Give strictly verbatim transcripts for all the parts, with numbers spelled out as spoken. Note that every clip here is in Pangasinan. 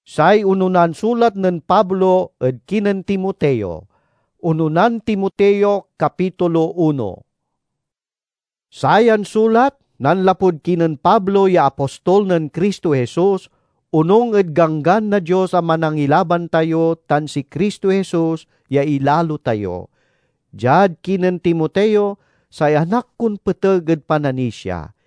Say ononan sulat nen Pablo ed kinen Timoteo. Ononan Timoteo, kapitulo uno. Sayan sulat nanlapud kinen Pablo ya apostol nen Cristo Jesus, onung ed Ganggan na Dios a Manangilaban tayo tan si Cristo Jesus ya ilalo tayo. Diad kinen Timoteo, say anak kon peteg ed pananisia.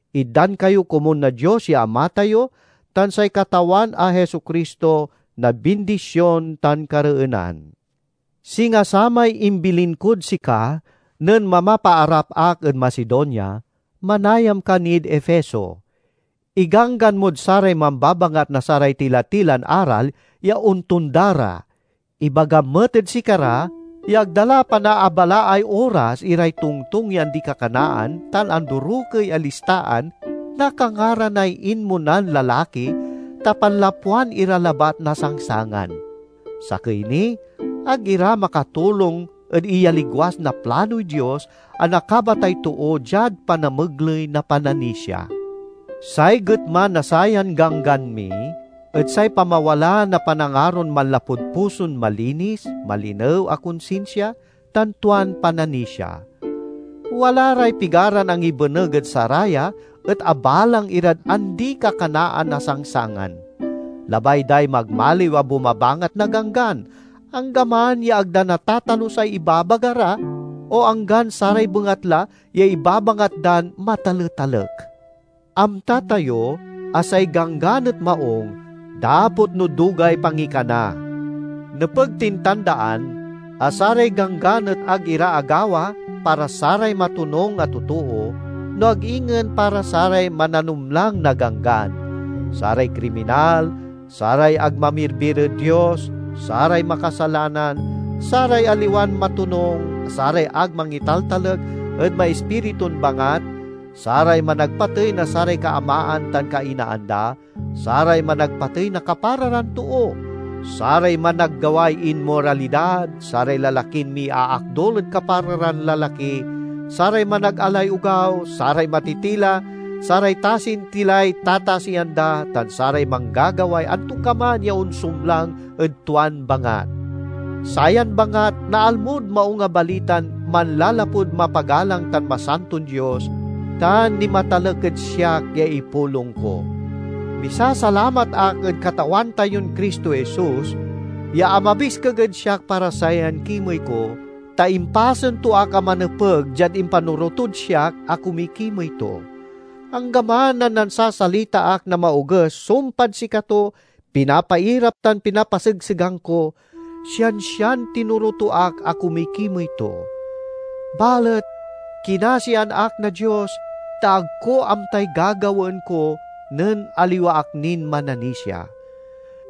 Itdan kayo komun na Dios ya Ama tayo tan say Katawan a Jesu-Cristo na bindision tan kareenan. Singa samay imbilin kod sika nen mamapaarap ak ed Macedonia, manayam ka nid Efeso. Iganggan mod saray mambabangat na saray tila-tilan aral ya ontonda ra. Ibagam met ed sikara ya ag da la panaabalaay oras iray tongtong ya andi-kakanaan tan andorokey a listaan na kangaranay inmonan lalaki ta panlapwan ira labat na sangsangan. Sakey ni, ag ira makatulong ed iyaligwas na planoy Dios a nakabatay too diad panamegley na pananisia. Say getma na sayan ganggan mi et say pamawala na panangaron manlapud puson malinis, malinew a konsinsia, tan tuan pananisia. Wala ray pigaran angibeneg ed saraya et abalang irad andi-kakanaan a sangsangan. Labay day magmaliw a bumabangat na ganggan, anggaman ya ag da natatalus say ibabaga ra, o anggan saray bengatla ya ibabangat dan mataletalek. Amta tayo a say ganggan et maung dapot no dugay pangikana. Nepeg tin tandaan a saray ganggan et ag ira agawa para saray matonung a totoo, no ag ingen para saray mananumlang na ganggan, saray kriminal, saray ag mamirbir ed Dios, saray makasalanan, saray aliwan matonung, saray ag mangitaltalek ed maispiritun bangat, saray managpatey na saray kaamaan tan kainaan da, saray managpatey na kapara ran too, saray managgaway inmoralidad, saray lalakin miaakdol ed kapara ran lalaki, saray managalay ogaw, saray matitila, saray tasintilay tatasian da, tan saray manggagaway antokaman ya onsumlang ed tuan bangat. Sayan bangat naalmod Maung a Balitan manlalapud mapagalang tan masanton Dios, tan nimatalek ed siak ya ipulong ko. Misasalamat ak ed Katawan tayon Cristo Jesus ya amabiskeg ed siak para sayan kimey ko, ta impasen to ak a manepeg diad impanoro tod siak a kumikimey to. Anggaman a nansasalita ak na maoges sumpad sikato, pinapairap tan pinapasegsegang ko, siansian tinoro to ak a kumikimey to. Balet kinasian ak na Dios, ta ag ko amtay gagawaen ko nen aliwa ak nin mananisia.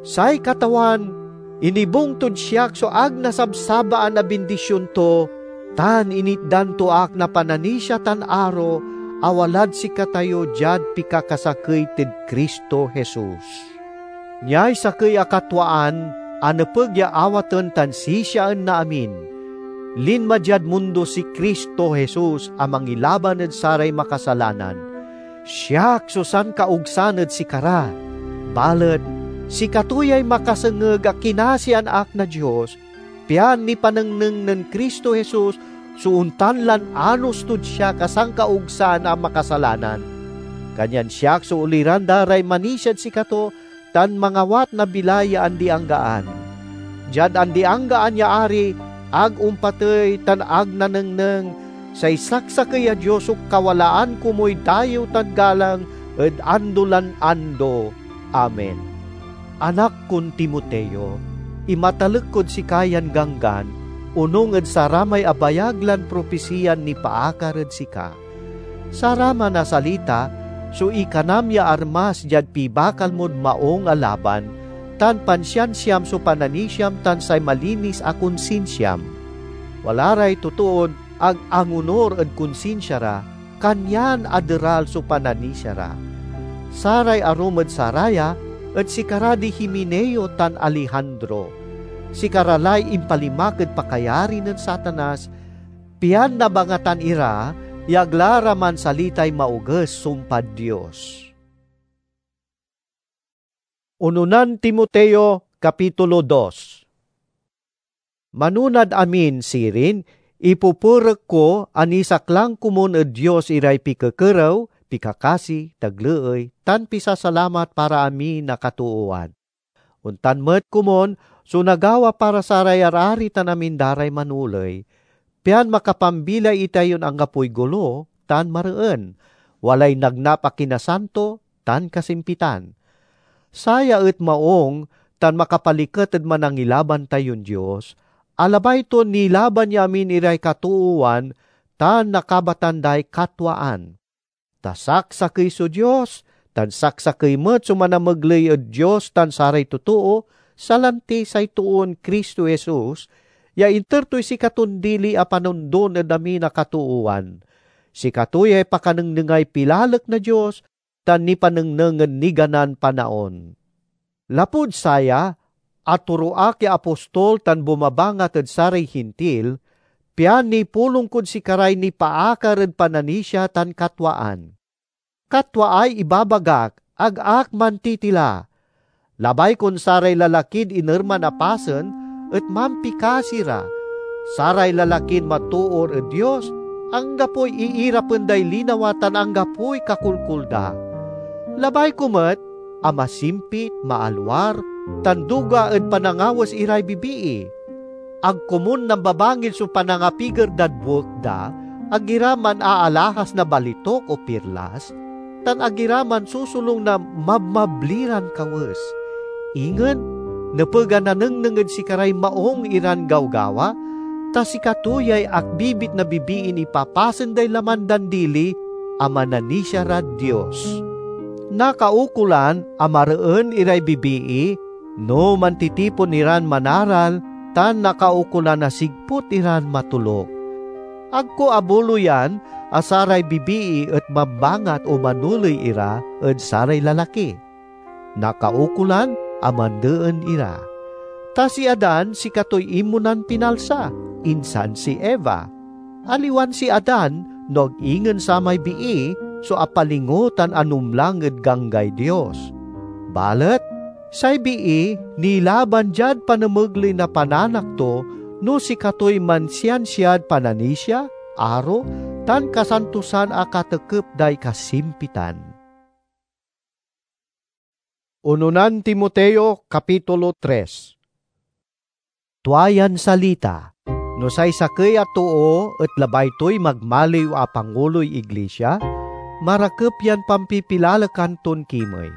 Say Katawan inibung tod siak so ag nasabsabaan a bindision to, tan initdan to ak na pananisia tan aro a walad sikatayo diad pikakasakey ed Cristo Jesus. Niay sakey a katwaan a nepeg ya awaten tan sisiaen na amin. Linma diad mundo si Cristo Jesus a mangilaban ed saray makasalanan. Siak so sankaogsan ed sikara, balet sikato yay makasengeg a kinasian ak na Dios, pian nipanengneng nen Cristo Jesus so ontan lan anos tod siak a sankaogsan a makasalanan. Kanyan siak so oliran da ray manisiad sikato tan mangawat na bilay ya andi-anggaan. Diad andi-anggaan ya Ari, ag ompatey tan ag nanengneng, say saksakey a Dios so kawalaan komuy dayew tan galang ed ando lan ando. Amen. Anak kon Timoteo, imatalek kod sika yan ganggan, onung ed saramay abayag lan propisiyan nipaakar ed sika. Saraman a salita so ikanam ya armas diad pibakal mod maung a laban, tan pansiansiam so pananisiam tan say malinis a konsinsiam. Wala ray totoon ag angonur ed konsinsia ra, kanyan aderal so pananisia ra. Saray arum ed saraya et sikara di Himeneo tan Alejandro. Sikara lay impalimak ed pakayari nen Satanas, pian nabangatan ira ya ag la ra mansalitay maoges sumpad Dios. Unonan Timoteo, Kapitulo dos. Manonad amin sirin, ipupurek ko a nisaklang komun ed Dios iray pikekerew, pikakasi, tagleey, tan pisasalamat para amin a katoowan. Ontan met komun so nagawa para saray arari tan amin da ray manoley, pian makapambilay itayon anggapoy golo tan mareen, walay nagnap a kinasanto tan kasimpitan. Saya et maung tan makapaliket ed Manangilaban tayon Dios, a labay ton nilaban ya amin iray katoowan tan nakabatan day katwaan. Ta saksakey so Dios, tan saksakey met so manamegley ed Dios tan saray totoo, salanti say toon Cristo Jesus, ya inter toy sikaton dili a panondon ed amin a katoowan. Sikato yay pakanengnengay pilalek na Dios tan nipanengneng ed niganan panaon. Lapud saya, atoro ak ya apostol tan bumabangat ed saray Hintil, pian nipulong kod sikaray nipaakar ed pananisia tan katwaan. Katwaay ibabagak, ag ak mantitila. Labay kon saray lalakid inerman a pasen et mampikasi ra. Saray lalakin matoor ed Dios, anggapoy iirapen day linawa tan anggapoy kakolkol da. Labay ko met a masimpit, maalwar, tan duga ed panangawes iray bibii. Ag komun nambabangil so panangapiger dad buek da, ag ira manaalahas na balitok o pirlas, tan ag ira mansusulong na mabmabli ran kawes. Ingen, nepeg a nanengneng ed sikaray maung iran gawgawa, ta sikato yay akbibit na bibiin ipapasen day laman dan dili a mananisia rad Dios. Nakaukolan a mareen iray bibii no mantitipon iran manaral tan nakaukolan a sigput iran matoluk. Ag ko abuloyan a saray bibii et mambangat o manoley ira ed saray lalaki. Nakaukolan a mandeen ira. Ta si Adan sikatoy inmonan pinalsa, insan si Eva. Aliwan si Adan, no ag ingen samay bii, so apalingo tan anumlang ed ganggay Dios. Balet say bii nilaban diad panamegley na pananak to no sikatoy mansiansiad pananisia, aro, tan kasantosan a katekep day kasimpitan. Unonan Timoteo, Kapitulo tres. Tua yan salita, no say sakey a too et labay toy magmaliw a panguloy iglisia, marakep yan pampipilalekan ton kimey.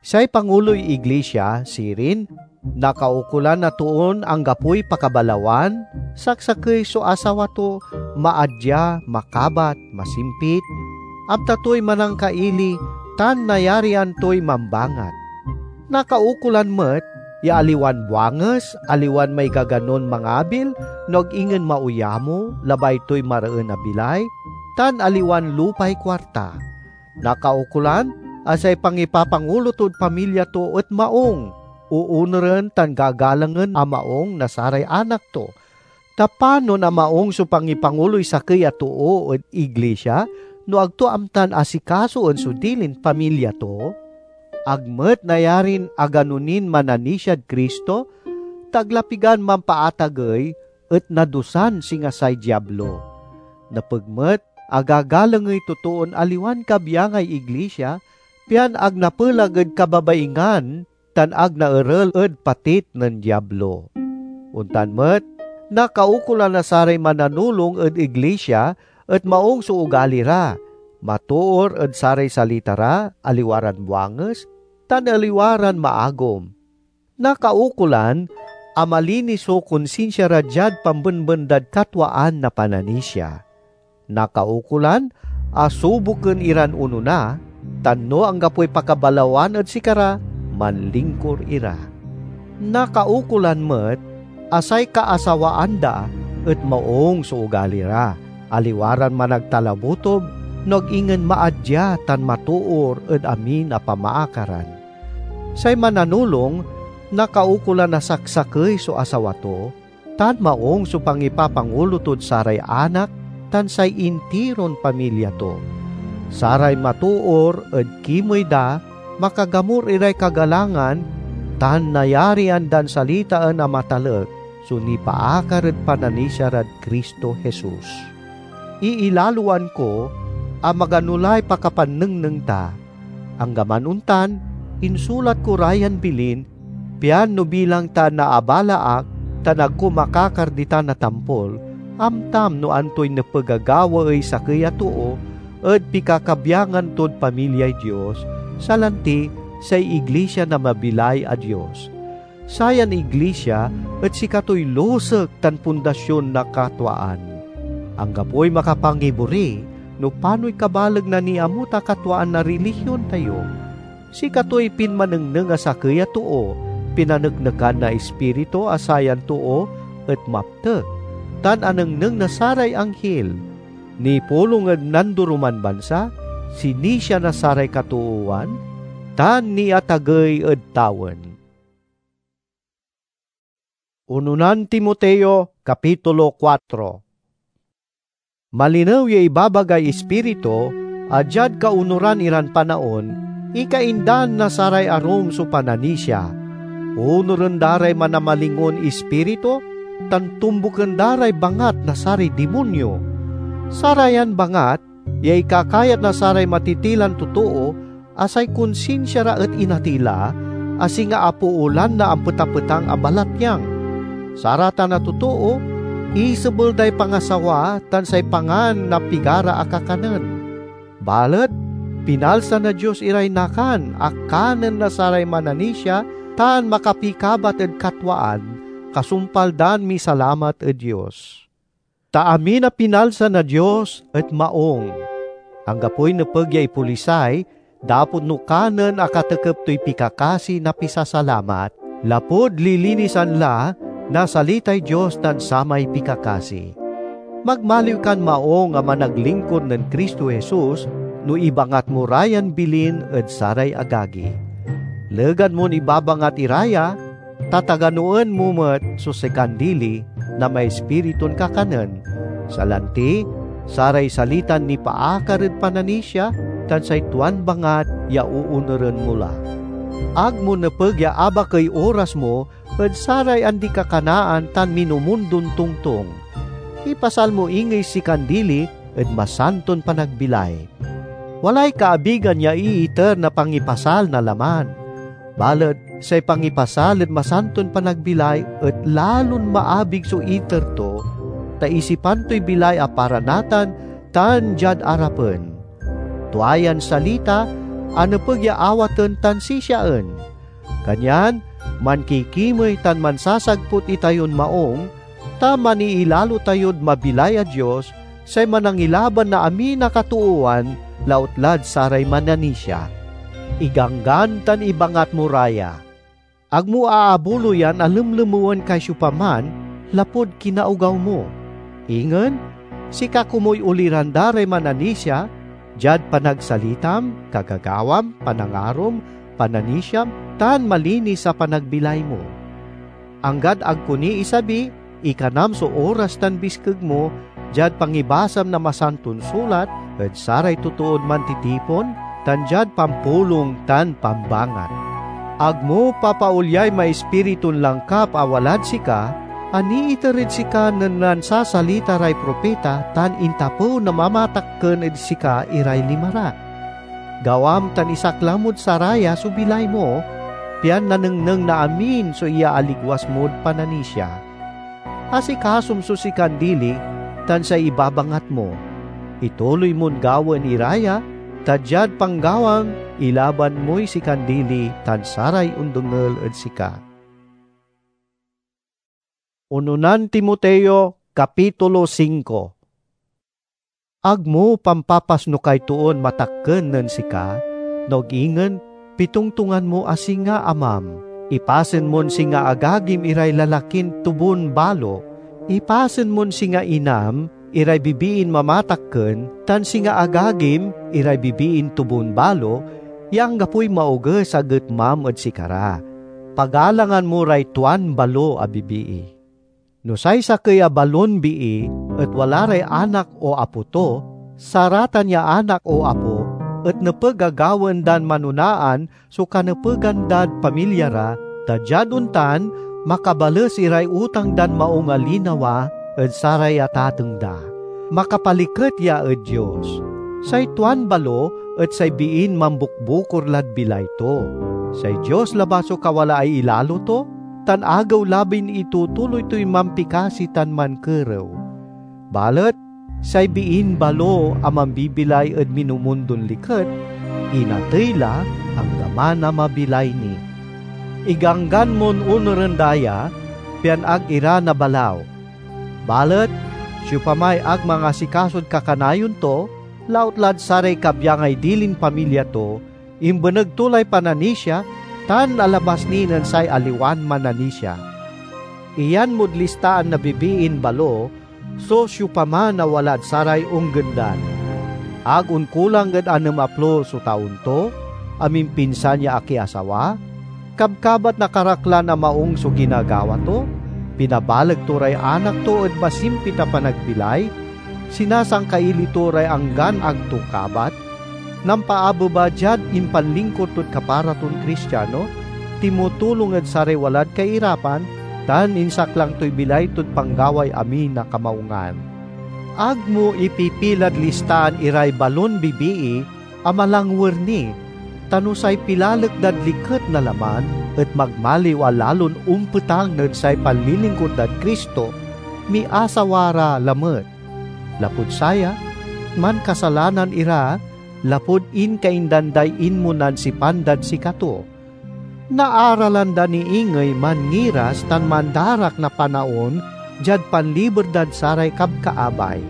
Say panguloy iglisia, sirin, nakaukolan a toon anggapoy pakabalawan, saksakey so asawa to, maadia, makabat, masimpit, amta toy manangkaili, tan nayarian toy mambangat. Nakaukolan met ya aliwan buanges, aliwan maigaganon mangabil, no ag ingen mauyamo, labay toy mareen a bilay, tan aliwan lupay kuarta. Nakaukolan a say pangipapangulo tod pamilya to et maung, oonuren tan gagalangen a maung na saray anak to. Ta panon a maung so pangipanguloy sakey a too ed iglisia no ag to amtan asikasoen so dilin pamilya to? Ag met nayarin agano nin mananisiad Cristo, ta ag la pigan mampaatagey et nadusan singa say Diablo. Nepeg met a gagalangey totoon aliwan kabyangay iglisia, pian ag napelag ed kababaingan tan ag naerel ed patit nen Diablo. Ontan met, nakaukolan a saray mananulong ed iglisia et maung so ugali ra, matoor ed saray salita ra, aliwa ran buanges, tan aliwa ran maagom. Nakaukolan a malinis so konsinsia ra diad pambenben dad katwaan na pananisia. Nakaukolan a suboken iran onona, tan no anggapoy pakabalawan ed sikara, manlingkor ira. Nakaukolan met a say kaasawaan da et maung so ugali ra, aliwa ran managtalabotob no ag ingen maadia tan matoor ed amin a pamaakaran. Say mananulong nakaukolan a saksakey so asawa to, tan maung so pangipapangulo tod saray anak tan say intiron pamilya to. Saray matoor ed kimey da makagamur iray kagalangan, tan nayarian dan salitaen a matalek so nipaakar ed pananisia rad Cristo Jesus. Iilaloan ko a magano lay pakapannengneng ta. Anggaman ontan, insulat ko ra yan bilin, pian no bilang ta naabala ak tan agko makakar ditan a tampol, amtam no antoy nepeg a gawaey sakey a too ed pikakabyangan tod pamilyay Dios, salanti say iglesia na mabilay a Dios. Sayan iglesia et sikatoy lusek tan pundasion na katwaan. Anggapoy makapangibori no panoy kabaleg na niamut a katwaan na rilihion tayo. Sikatoy pinmanengneng a sakey a too, pinaneknekan na Ispiritu a sayan too et maptek, tan anengneng na saray anghil. Nipulong ed nandoroman bansa, sinisia na saray katoowan, tan niatagey ed tawen. Unonan Timoteo, Kapitulo kuatro. Malinew ya ibabagay Ispiritu a diad kaonuran iran panaon, ikaindan na saray arum so pananisia. Onuren da ray manamalingon ispiritu, tan tumboken da ray bangat na saray dimonyo. Sarayan bangat ya ikakayat na saray matitilan totoo a say konsinsia ra et inatey la, a singa apoolan na ampetapetang a balatyang. Saratan a totoo, isebel day pangasawa tan say pangan na pigara a kakanen. Balet pinalsa na Dios iray nakan a kanen na saray mananisia tan makapikabat ed katwaan, kasumpal dan misalamat ed Dios. Ta amin a pinalsa na Dios et maung. Anggapoy nepeg ya ipolisay, dapot no kanen a katekep toy pikakasi na pisasalamat, lapud lilinisan la na salitay Dios tan samay pikakasi. Magmaliw kan maung a managlingkur nen Cristo Jesus no ibangat mo ra yan bilin ed saray agagi. Legan mon ibabangat ira ya, tataganoen mo met so sikan dili na maispiritun kakanen, salanti saray salitan nipaakar ed pananisia tan say tuan bangat ya oonuren mo la. Ag mo nepeg ya abakey oras mo ed saray andi-kakanaan tan minumundon tongtong. Ipasal mo ingey sikan dili ed masanton panagbilay. Walay kaabigan ya iiter na pangipasal na laman. Balet say pangipasal ed masanton panagbilay et lalon maabig so iter to, ta isipan toy bilay a para natan tan diad arapen. Tua yan salita a nepeg ya awaten tan sisiaen. Kanyan mankikimey tan mansasagput itayon maung, ta maniilalo tayod mabilay a Dios, say Manangilaban na amin a katoowan, lautlad saray mananisia. Iganggan tan ibangat mo ra ya. Ag mo aabuloyan a lemlemewen kay siopaman lapud kinaogaw mo. Ingen, sika komuy oliran da ray mananisia, diad panagsalitam, kagagawam, panangarom, pananisiam, tan malinis a panagbilay mo. Anggad ag ko ni isabi, ikanam so oras tan biskeg mo diad pangibasam na Masanton Sulat ed saray totood mantitipon, tan diad pampulong tan pambangat. Ag mo papaolyay maispiritun langkap a walad sika, a niiter ed sika nen nansasalita ray propita tan intapew na mamatakken ed sika iray lima ra. Gawam tan isaklang mod saraya so bilay mo, pian nanengneng na amin so iyaaligwas mod pananisia. Asikasom so sikan dili tan say ibabangat mo. Ituloy mon gawaen ira ya, ta diad panggawam, ilaban moy sikan dili tan saray ondengel ed sika. Unonan Timoteo, Kapitulo singko. Ag mo pampapasnokay toon matakken nen sika, no ag ingen pitongtongan mo a singa amam. Ipasen mon singa agagim iray lalakin tobun balo. Ipasen mon singa inam iray bibiin mamatakken, tan singa agagim iray bibiin tobun balo, ya anggapoy maoges a getmam ed sikara. Pagalangan mo ray tuan balo a bibii. No say sakey a balon bii et wala ray anak o apo to, saratan ya anak o apo et nepeg a gawaen dan manonaan so kanepegan dad pamilya ra, ta diad ontan, makabales iray utang dan maung a linawa ed saray atateng da. Makapaliket ya ed Dios. Say tuan balo et say biin mambukbukor lad bilay to. Say Dios labat so kawalaay ilalo to, tan agew-labin itutuloy toy mampikasi tan mankerew. Balet say biin balo a mambibilay ed minumundon liket, inatey la anggaman a mabilay ni. Iganggan mon onuren da ya, pian ag ira nabalaw. Balet siopamay ag mangasikasod kakanayon to, lautlad saray kabyangay dilin pamilya to, imbeneg to lay pananisia, tan alabas ni nen say aliwan mananisia. Iyan mod listaan na bibiin balo so siopaman a walad saray onggendan. Ag onkulang ed anem a plo so taon to, a mimpinsan ya akiasawa, kabkabat na karaklan a maung so ginagawa to, pinabaleg to ray anak to ed masimpit a panagbilay, sinasangkaili to ray anggan ag to kabat, nampaabeba diad impanlingkur tod kapara ton Kristiano, timutulong ed saray walad kairapan, tan insaklang toy bilay tod panggaway amin a kamaungan. Ag mo ipipilad listaan iray balon bibii a malangwer ni, ta no say pilalek dad liket na laman et magmaliw a lalon ompetang ed say panlilingkur dad Cristo, miasawa ra lamet. Lapud saya, mankasalanan ira lapud inkaindan day inmonan sipan dad sikato. Naaralan da ni ingey manngiras tan mandarak na panaon diad panliber dad saray kabkaabay.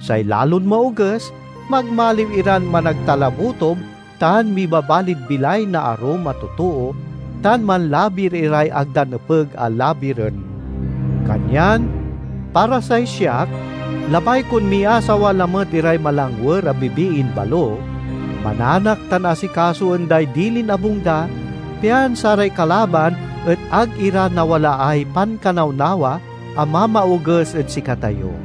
Say lalon maoges, magmaliw iran managtalabutob tan mibabalid bilay na arum a totoo, tan manlabir iray ag da nepeg a labiren. Kanyan, para say siak, labay kon miasawa lamet iray malangwer a bibiin balo, mananak tan asikasoen day dilin abung da, pian saray kalaban et ag ira nawalaay pankanawnawa a mamaoges ed sikatayo.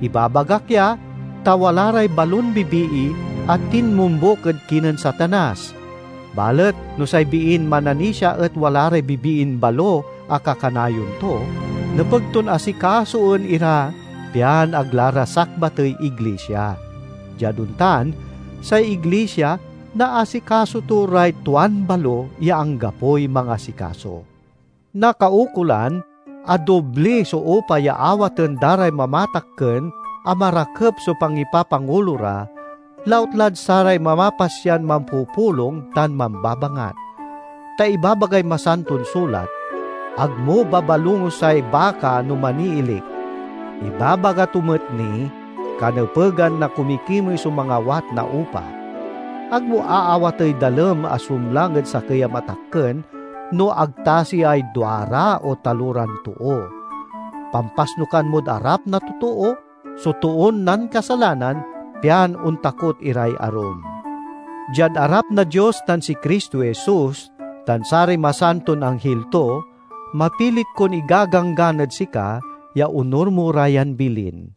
Ibabagak ya, ta wala ray balon bibii a tinmombuk ed kinen Satanas. Balet no say biin mananisia et wala ray bibiin balo a kakanayon to, nepeg ton asikasoen ira, pian ag la ra sakbatey iglisia. Diad ontan, say iglisia naasikaso to ray tuan balo ya anggapoy mangasikaso. Nakaukolan a dobli so upa ya awaten da ray mamatakken a marakep so pangipapangulo ra, lautlad saray mamapasyan mampupulong tan mambabangat. Ta ibabagay Masanton Sulat, "Agmo babalongosay baka no maniilik." Ibabaga to met ni, kanepegan na kumikimey so mangawat na upa. Agmo aawatey dalem a sumlang ed sakey a matakken, no ag ta siay duara o taloran too. Pampasnokan mod arap na totoo so toon nankasalanan, pian ontakot iray arum. Diad arap na Dios tan si Cristo Jesus, tan saray masanton anghil to, mapilit kon igaganggan ed sika ya onur mo ra yan bilin.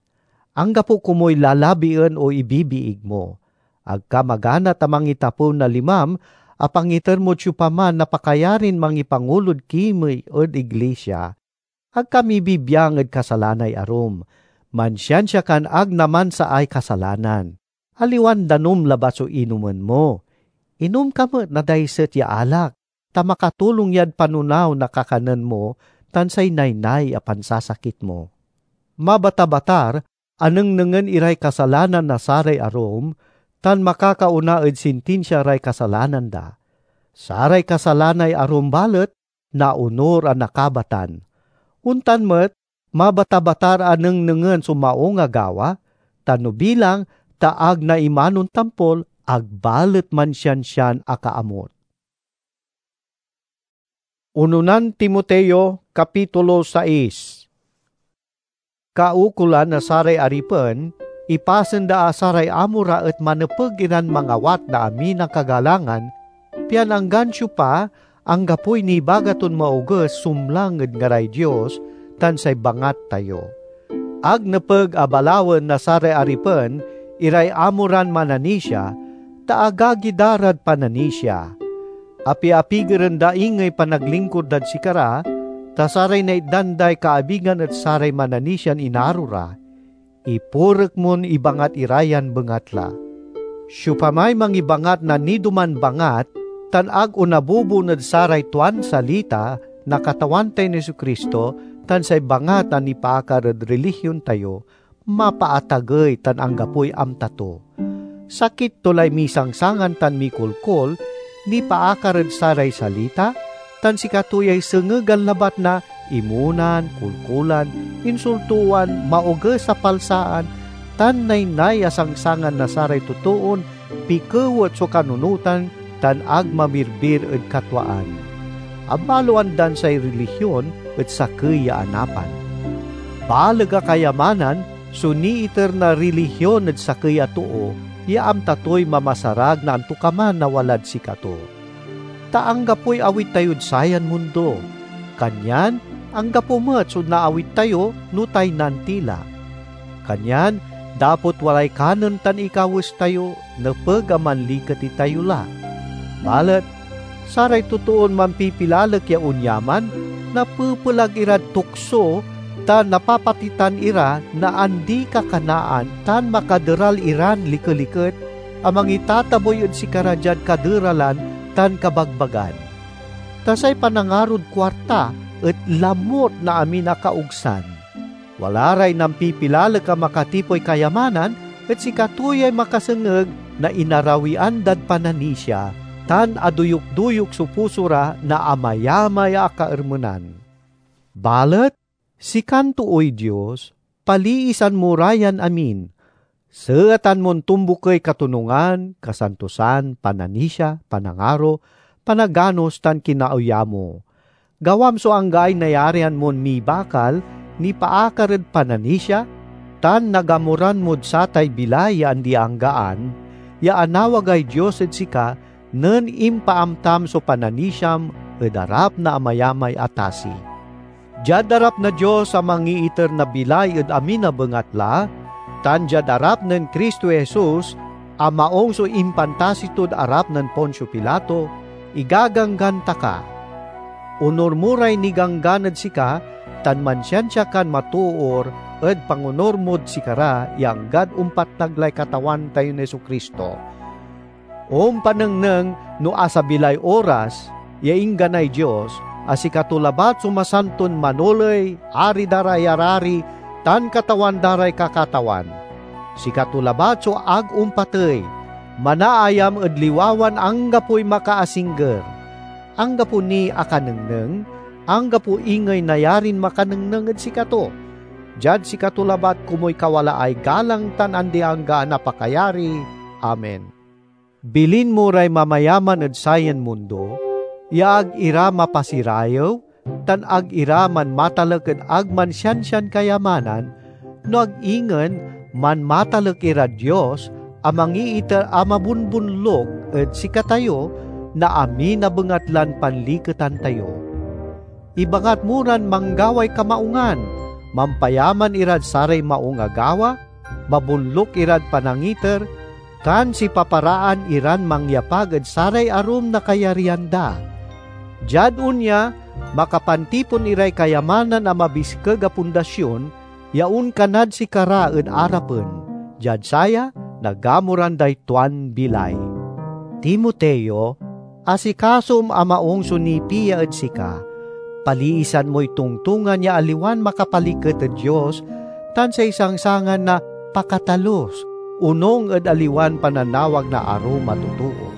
Anggapo komoy lalabien o ibibiig mo. Ag ka magana ta mangitapew na limam a pangiter mod siopaman na pakayarin mangipangulod kimey ed iglisia. Ag ka mibibiang ed kasalanay arum. Mansiansia kan ag namansaay kasalanan. Aliwan danum labat so inomen mo. Inom ka met na daiset ya alak, ta makatulong yad panonaw na kakanen mo tan say naynay a pansasakit mo. Mabatabatar a nengnengen iray kasalanan na saray arum, tan makakaona ed sintinsia ray kasalanan da. Saray kasalanay arum balet naonur a nakabatan. Ontan met, mabatabatar a nengnengen so maung a gawa, tan no bilang ta ag naimanon tampol, ag balet mansiansian akaamut. Unonan Timoteo, Kapitulo sais. Kaukolan na saray aripen, ipasen da a saray amo ra et manepeg iran mangawat na amin a kagalangan, pian anggan siopa, anggapoy nibaga ton maoges sumlang ed ngaray Dios tan say bangat tayo. Ag nepeg a balawen na saray aripen iray amo ran mananisia, ta agagi da rad pananisia. Apiapigeren da ingey panaglingkur dad sikara, ta saray naitdan day kaabigan et saray mananisian inaro ra. Ipurek mon ibangat ira yan bengatla. Siopamay mangibangat na nidoman bangat tan ag onabubon ed saray tuan salita na Katawan tayon Jesu-Cristo tan say bangat a nipaakar ed relihion tayo, mapaatagey tan anggapoy amta to. Sakit to lay misangsangan tan mikolkol nipaakar ed saray salita, tan sikato yay sengegan labat na imonan, kolkolan, insultoan, maoges a palsaan, tan naynay a sangsangan na saray totoon pikewet so kanunotan tan ag mamirbir ed katwaan. Abaloan dan say relihion et sakey ya anapan. Baleg a kayamanan so niiter na relihion ed sakey a too ya amta toy mamasarag na antokaman a walad sikato. Ta anggapoy awit tayod sayan mundo, kanyan anggapo met so naawit tayo no taynan ti la. Kanyan dapot walay kanen tan ikawes tayo, nepeg a manliket itayo la. Balet saray totoon mampipilalek ya onyaman napepelag irad tukso tan napapatitan ira na andi-kakanaan tan makaderal iran likeliket a mangitatabuy ed sikara diad kaderalan tan kabagbagan. Ta say panangarod kuarta et lamut na amin a kaogsan. Wala ray nampipilalek a makatipoy kayamanan et sikato yay makasengeg na inarawian dad pananisia, tan aduyok-duyok so puso ra na amayamay a kaermenan. Balet sikan tooy Dios, paliisan mo ra yan amin. Seetan mon tombukey katonungan, kasantosan, pananisia, panangaro, panaganos, tan kinaoyamo. Gawam so anggaay nayarian mon mibakal nipaakar ed pananisia, tan nagamuran mod satay bilay ya andi-anggaan ya anawagay Dios ed sika nen impaamtam so pananisiam ed arap na amayamay a tasi. Diad arap na Dios a mangiiter na bilay ed amin a bengatla, tan diad arap nen Cristo Jesus a maong so impantasi tod arap nen Poncio Pilato, igaganggan ta ka. Onur mo ray niganggan ed sika, tan mansiansia kan matoor ed pangonur mod sikara ya anggad ompatnag lay Katawan tayon Jesu-Cristo. Ompanengneng no asabi lay oras ya ingganay Dios a sikato labat so masanton manoley, Ari da ray arari, tan Katawan da ray kakatawan. Sikato labat so ag ompatey, manaayam ed liwawan anggapoy makaasingger. Anggapo niy akanengneng, anggapo ingey nayarin makanengneng ed sikato. Diad sikato labat komuy kawalaay galang tan andi-anggaan a pakayari. Amen. Bilin mo ray mamayaman ed sayan mundo ya ag ira mapasirayew tan ag ira manmatalek ed ag mansiansian kayamanan, no ag ingen manmatalek irad Dios a mangiiter a mabonbonluk ed sikatayo na amin a bengatlan panliketan tayo. Ibangat mo ran manggaway kamaungan, mampayaman irad saray maung a gawa, mabonluk irad panangiter, tan sipaparaan iran mangyapag ed saray arum na kayarian da. Diad onya, makapantipon iray kayamanan a mabiskeg a pundasion ya onkanad sikara ed arapen, diad saya nagamuran day tuan bilay. Timoteo, asikasom a maung so nipiya ed sika. Paliisan moy tongtongan ya aliwan makapaliket ed Dios, tan say sangsangan na pakatalus, onung ed aliwan pananawag na arum a totoo.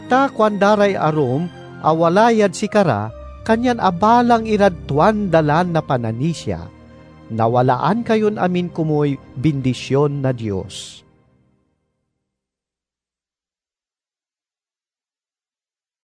Ta kuanda ray arum a wala yad sikara, kanyan abalang irad tuan dalan na pananisia. Nawalaan kayon amin komuy bindision na Dios.